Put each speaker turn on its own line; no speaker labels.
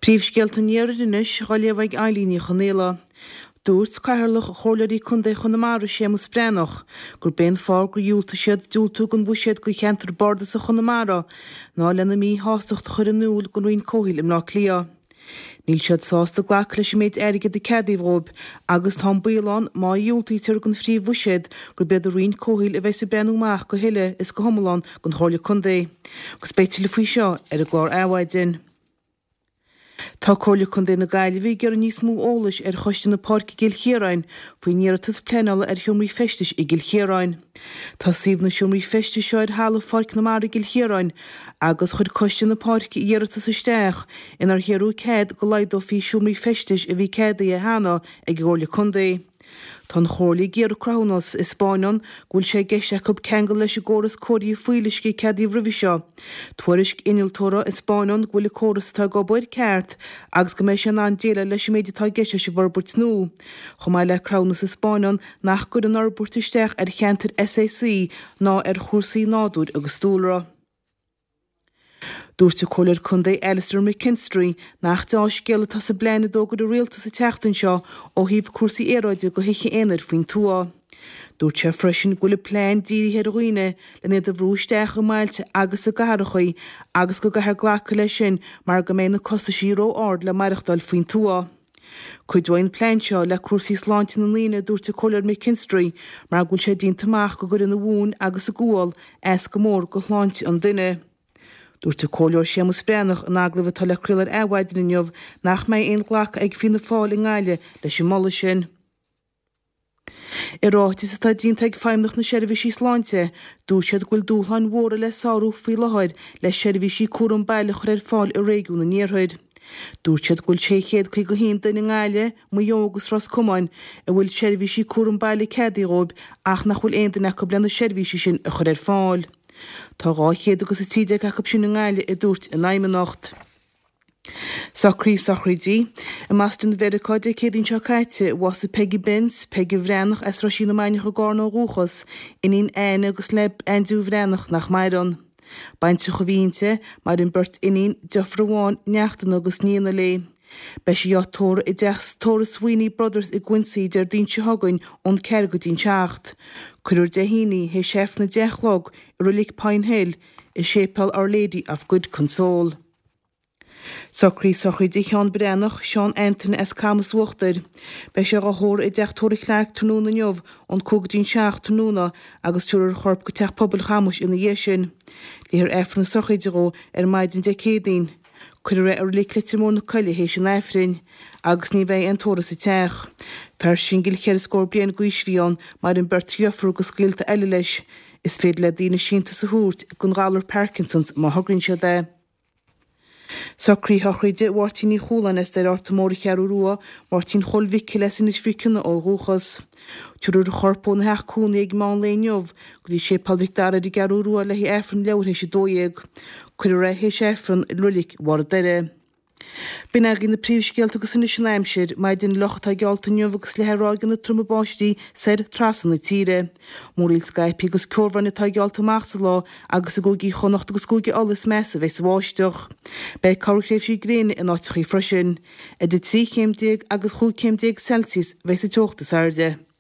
Príomhscéalta an Iarthair anois á léamh ag Eilín Ní Chonaola. Dúirt Cathaoirleach Chomhairleoirí Contae Chonamara, Séamus Breathnach, gurb é an fáth gur dhiúltaigh siad diúltú don bhuiséad do cheantar bardasach Chonamara ná lena míshástacht a chur in iúl don Roinn Comhshaoil i mBleá Cliath. Níl siad sásta glacadh leis an méid airgid a ceadaíodh dhóibh agus tá an baol ann má dhiúltaítear don phríomhbhuiséad gurb iad an Roinn Comhshaoil a bheas ag breathnú amach go huile is go hiomlán don Chomhairle Contae. Agus beidh tuilleadh faoi seo ar an gclár Adhmhaidin. Tá Comhairle Contae na Gaillimhe ag iarraidh níos mó eolais ar Choiste na Páirce i gCill Chiaráin faoin iarratas pleanála ar sheomraí feistis i gCill Chiaráin. Tá suíomh na seomraí feistis seo ar thalamh Pháirc na Mara i gCill Chiaráin agus chuir Coiste na Páirce iarratas isteach inar hiarradh cead go laghdófaí seomraí feistis a bhí ceadaithe cheana ag an gComhairle Contae. Tá an Chomhairle ag iarraidh cruthúnas a spáineann go bhfuil sé i gceist acu ceangal leis an gcóras cóirithe fuíolluisce a ceadaíodh roimhe seo, tuairisc innealtóra a spáineann go bhfuil an córas atá ag obair ceart agus go mbeidh sé in ann déileáil leis an méid atá i gceist leis an bhforbairt nua, chomh maith le cruthúnas a spáineann nach gcuireann an fhorbairt isteach ar cheantair SAC ná ar chúrsaí nádúir agus dúlra. Dúirt an Comhairleoir Contae Alastair McKinstry nach deá-scéal atá sa bplean a d'fhógair an Rialtas an tseachtain seo ó thaobh cúrsaí aeráide do thithe aonair faoin tuath. Dúirt sé freisin go bhfuil an plean dírithe ar dhaoine len iad a bhrú isteach i mbailte agus i gcathrachaí agus go gcaithfear glacadh leis sin mar go mbeidh na costaisí ró-ard le maireachtáil faoin tuath. Cuideoidh an plean seo le cúrsaí sláinte na ndaoine, a dúirt an Comhairleoir McKinstry, mar go bhfuil sé déanta amach go gcuireann an mhóin agus an gual as go mór go shláinte an duine. Dúirt an Comhairleoir Séamus Breathnach in agallamh atá le craoladh ar Adhmhaidin inniu nach mbeidh aon ghlacadh ag Fianna Fáil i nGaillimh leis an moladh sin. I ráiteas atá déanta ag Feidhmeannacht na Seirbhísí Sláinte, dúirt siad go bhfuil dúshláin mhóra le sárú faoi láthair le seirbhísí cúram baile a chur ar fáil i réigiún an Iarthair. Dúirt siad go bhfuil 651 duine i nGaillimh, Maigh Eo agus Ros Comáin a bhfuil seirbhísí cúram baile ceadaithe dhóibh ach nach bhfuil aon duine acu le na seirbhísí sin a chur ar fáil. Tá 200 agus 13 acu sin i nGaillimh, a dúirt an Fheidhmeannacht. Socruithe sochraide. I mBoston Mheiriceá Dé Céadaoin seo caite, bhásaigh Peggy Benz, Peige Bhreathnach as Roisín na Mainiach i gCarna ó dhúchas, iníon Anne agus le Aindriú Bhreathnach nach maireann. Baintreach a bhí inti, maireann beirt iníon, deirfiúr amháin, neachtanna agus nianna léi. Beidh sí á tórramh i dteach tórraimh Sweeney Brothers i gCuincy Déardaoin seo chugainn ón 4 go dtí'n 7. Cuirfear Dé hAoine, théis Aifreann 10 a chlog, i Reilig Pine Hill, i Séipéal Our Lady of Good Console. Socruithe sochraide Sheán Breathnach, Seán Antaine as Camas Uachtair. Beidh sé dhá thórramh i dTeach Tórraimh Clarke tráthnóna inniu ón 5 go dtí'n 7 tráthnóna agus tabharfar a chorp go Teach Pobail Chamais ina dhiaidh sin. Léifear Aifreann na sochraide dhó ar maidin Dé Céadaoin. Cuirfear é i Reilig Leitir Móir na Coille théis an Aifrinn. Agus ní bheidh aon tórramh sa teach. Fear singil cheithre scór bliain d'aois a bhí ann, maireann beirt dheirfiúr agus gaolta eile leis. Is féidir le daoine síntiús a thabhairt don ghalar Parkinson's má thograíonn siad é. Socruithe sochraide Mháirtín Uí Chualáin as Doire Fhatharta Mór an Cheathrú Rua, Máirtín Chóil Mhicil as Inis Mhic Cionnaith ó dhúchas. Tabharfar a chorp óna theach cónaí ag meán lae inniu go dtí Séipéal Mhic Dara ar an gCeathrú Rua le haghaidh Aifreann leathuair théis 12. Cuirfear é théis Aifreann i Roilig Bharr an Doire. B'in agaibh na príomhscéalta agus anois an aimsir. Maidin fhliuch atá geallta inniu agus le ráigeanna troma báistí soir trasna na tíre. Múraíl scaipthe agus ceobhráin atá geallta amach sa lá agus i gcúigí Chonnacht agus Cúige Uladh is measa a bheas an bháisteach. Beidh corrthréimhsí gréine in áiteachaí freisin. Idir 13 chéim agus 15 chéim Celsius a bheas an teocht is airde.